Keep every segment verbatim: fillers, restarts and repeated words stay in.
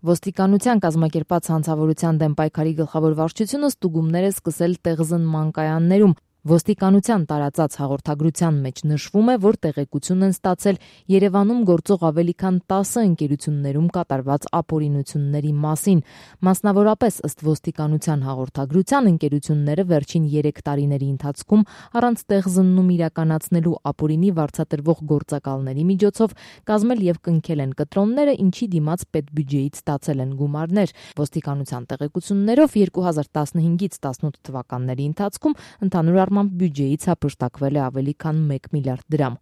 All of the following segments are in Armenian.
Ոստիկանության կազմակերպած հանցավորության դեմ պայքարի գլխավոր վարչությունը ստուգումներ է սկսել տեղզնման կայաններում։ Ոստիկանության տարածած հաղորդագրության մեջ նշվում է, որ տեղեկություն են ստացել Երևանում գործող ավելի քան տասը ընկերություններում կատարված ապօրինությունների մասին։ Մասնավորապես, ըստ ոստիկանության հաղորդագրության, ընկերությունները վերջին երեք տարիների ընթացքում առանց տեղզննում իրականացնելու ապօրինի վարձատրվող գործակալների միջոցով կազմել եւ կնքել են կտրոնները, ինչի դիմաց պետբյուջեից ստացել են գումարներ։ Ոստիկանության տեղեկություններով երկու հազար տասնհինգից տասնութ թվականների ընթացքում ընդհանուր առմամբ բյուջեից հափշտակվել է ավելի քան մեկ միլիարդ դրամ։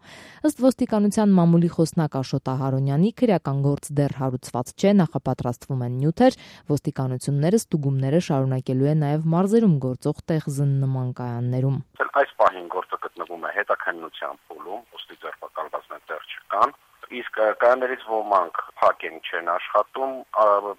Ըստ ոստիկանության մամուլի խոսնակ Աշոտ Ահարոնյանի, քրեական գործ դեռ հարուցված չէ, նախապատրաստվում են նյութեր, ոստիկանությունները ստուգումները շարունակելու է նաև մարզերում գործող տեղզնման կայաններում։ Այս պահին գործը գտնվում է հետաքննության փուլում, ոստի ձերբակալվածներ դեռ չկան, իսկ կայաններից ոմանք փակ են չեն աշխատում,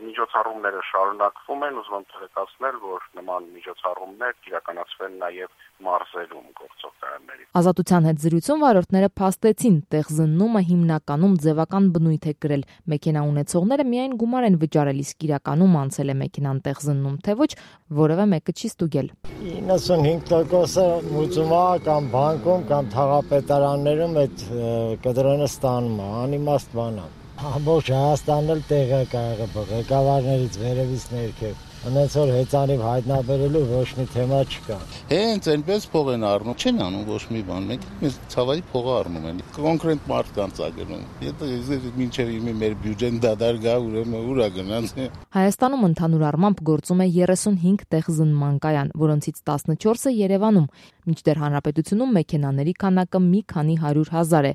միջոցառումները շարունակվում են, ուզում եմ տեղեկացնել, որ նման միջոցառումներ իրականացվեն նաև մարզերում գործող կայանների։ Ազատության հետ զրույցում վարորդները փաստեցին, տեղզնումը հիմնականում ձևական բնույթ է կրել։ Մեքենա ունեցողները միայն գումար են վճարել, իսկ իրականում անցել է մեքենան տեղզննում, թե ոչ, որևէ մեկը չի ստուգել։ իննսունհինգ տոկոսը մուծում է կամ բանկում կամ թաղապետարաններում այդ կտրոնը ստանում է, անիմաստ բան է։ Ամբողջ Հայաստանն էլ տեղակ է եղել, ղեկավարներից վերևից ներքև։ Անց որ հեծանիվ հայտնաբերելու ոչ մի թեմա չկա։ Հենց այնպես փող են առնում, չեն անում ոչ մի բան, մենք մեզ ցավալի փողը առնում են։ Կոնկրետ մարդկանց ա գնում։ Եթե մինչև իմի մեր բյուջեն դադար գա, ուրեմն ուր ա գնաց։ Հայաստանում ընդհանուր առմամբ գործում է երեսունհինգ տեղզնման կայան, որոնցից տասնչորսը Երևանում, մինչդեռ հանրապետությունում մեքենաների քանակը մի քանի հարյուր հազար է։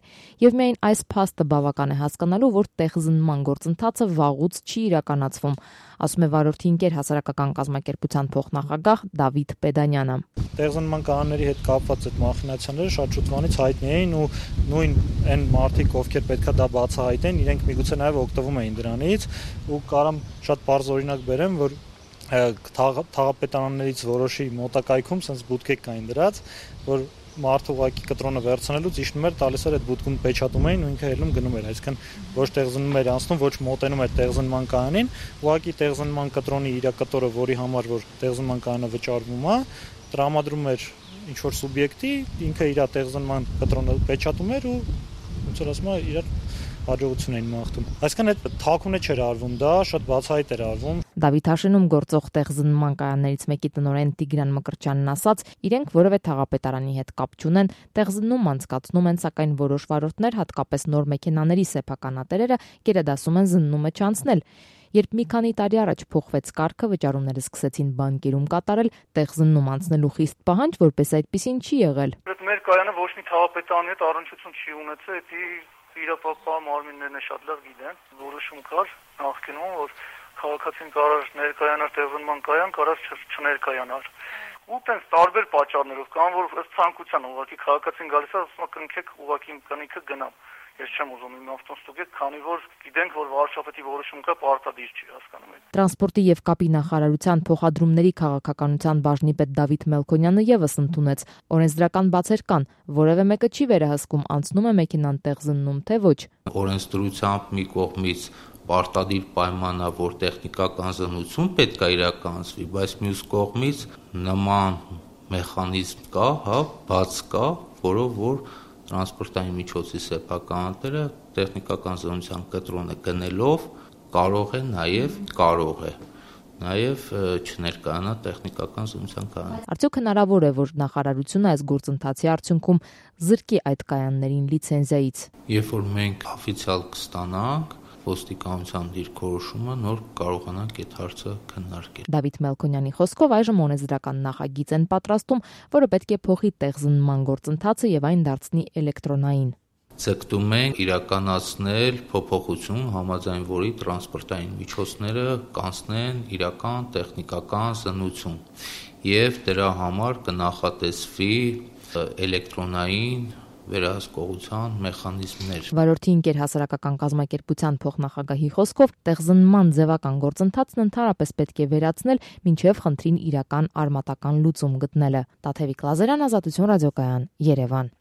Եվ միայն այս փաստը բավական է հասկանալու, որ տեղզնման գործընթացը վաղուց չի իրականացվում, ասում է վարորդի ընկեր հասարակական կազմակերպության փոխնախագահ Դավիթ Պեդանյանը։ Տեղզնման կայանների հետ կապված այդ մախինացիաները շատ շուտվանից հայտնի էին ու նույն այն մարդիկ, ովքեր պետքա դա բացահայտեն, իրենք միգուցե նաև օգտվում էին դրանից ու կարամ շատ բարձ օրինակ բերեմ, որ թաղապետարաններից որոշի մոտակայքում sense բուտկեր կային դրած, որ մարդը ուղակի կտրոնը վերցնելուց իջնում էր, տալիս էր այդ բուտկում պեչատում էին ու ինքը ելնում գնում էր, այսինքն ոչ տեղզնում էր անցնում, ոչ մոտենում էր տեղզնման կայանին, ուղակի տեղզնման կտրոնի իր կտորը, որի համար որ տեղզնման կայանը վճարվում է, տրամադրում էր ինչ որ սուբյեկտի, ինքը իր տեղզնման կտրոնը պեչատում էր ու ոնց որ ասում է, իր հաջողություն էին մաղթում։ Այսինքն այդ թաքունը չէր արվում, դա շատ բացահայտ էր արվում։ Դավիթաշենում գործող տեղզնման կայաններից մեկի տնօրեն Տիգրան Մկրտչյանն ասաց, իրենք որևէ թաղապետարանի հետ կապ չունեն, տեղզնում անցկացնում են, սակայն որոշ վարորդներ, հատկապես նոր մեքենաների սեփականատերերը, գերադասում են զննումը չանցնել։ Երբ մի քանի տարի առաջ փոխվեց կարգը, վճարումները սկսեցին բանկերում կատարել, տեղզնում անցնելու խիստ պահանջ, որպես այդպեսին չի եղել։ Մեր կայանը ոչ մի թաղապետարանի հետ առնչություն չի ունեցել, դա իրապապա մարմիններն է շատ լավ գիտեն, որոշում կար նախկինում, որ քաղաքացին կարող ներկայանար տեղզնման կայան, կարող չներկայանար։ Ու տենց տարբեր պատճառներով կան, որ ըստ ցանկության ուղղակի քաղաքացին գալիս է, ասում է կնքեք ուղղակի կնիքը գնամ։ Ես չեմ ուզում իմ ավտոն ստուգել, քանի որ գիտենք, որ վարչապետի որոշում կա, պարտադիր չի, հասկանում եք։ Տրանսպորտի եւ կապի նախարարության փոխադրումների քաղաքականության բաժնի պետ Դավիթ Մելքոնյանը եւս ընդունեց, օրենսդրական բացեր կան, որևէ մեկը չի վերահսկում, անցնում է մեքենան տեղզննում, թե ոչ։ Օրենսդրությամբ մի կողմից պարտադիր պայման է, որ տեխնիկական զննություն պետք է իրականացվի, բայց մյուս կողմից նման մեխանիզմ կա, հա, բաց կա, որով որ տրանսպորտային միջոցի սեփականատերը տեխնիկական զննության կտրոնը գնելով կարող է նաև կարող է նաև չներկայանա տեխնիկական զննության կայան։ Արդյոք հնարավոր է, որ նախարարությունը այս գործընթացի արդյունքում զրկի այդ կայաններին լիցենզիայից։ Երբ որ մենք օֆիցիալ կստանանք ոստիկանության դիրքորոշումը, նոր կարողանանք այդ հարցը քննարկել։ Դավիթ Մելքոնյանի խոսքով այժմ օրենսդրական նախագիծ են պատրաստում, որը պետք է փոխի տեղզնման գործընթացը եւ այն դարձնի էլեկտրոնային։ Ցկտում ենք իրականացնել փոփոխություն, համաձայն որի տրանսպորտային միջոցները կանցնեն իրական տեխնիկական զննություն եւ դրա համար կնախատեսվի էլեկտրոնային վերահսկողության մեխանիզմներ։ Վարորդի ընկեր հասարակական կազմակերպության փոխնախագահի խոսքով տեղզնման ձևական գործընթացն ընդհանրապես պետք է վերացնել, մինչև խնդրին իրական արմատական լուծում գտնելը։ Տաթևիկ Լազարյան, Ազատություն ռադիոկայան, Երևան։